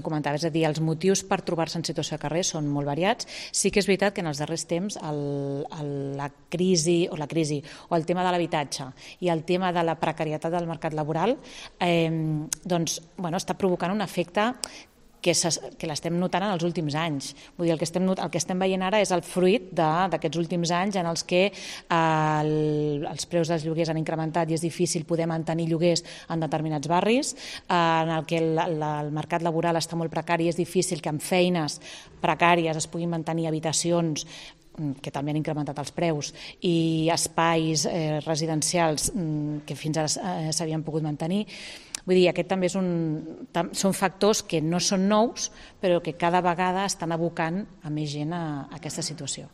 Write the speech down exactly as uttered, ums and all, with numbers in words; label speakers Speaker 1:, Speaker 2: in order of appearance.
Speaker 1: Comentava, és a dir, els motius per trobar-se en situació de carrer són molt variats. Sí que és veritat que en els darrers temps el, el, la crisi o la crisi o el tema de l'habitatge i el tema de la precarietat del mercat laboral eh, doncs, bueno, està provocant un efecte que, que l'estem notant en els últims anys. Vull dir, el que estem, el que estem veient ara és el fruit d'aquests últims anys en els que eh, el, els preus dels lloguers han incrementat i és difícil poder mantenir lloguers en determinats barris, eh, en el que el, el, el mercat laboral està molt precari i és difícil que amb feines precàries es puguin mantenir habitacions que també han incrementat els preus i espais eh, residencials que fins ara eh, s'havien pogut mantenir. Vull dir, aquest també és un, tam, són factors que no són nous, però que cada vegada estan abocant a més gent a, a aquesta situació.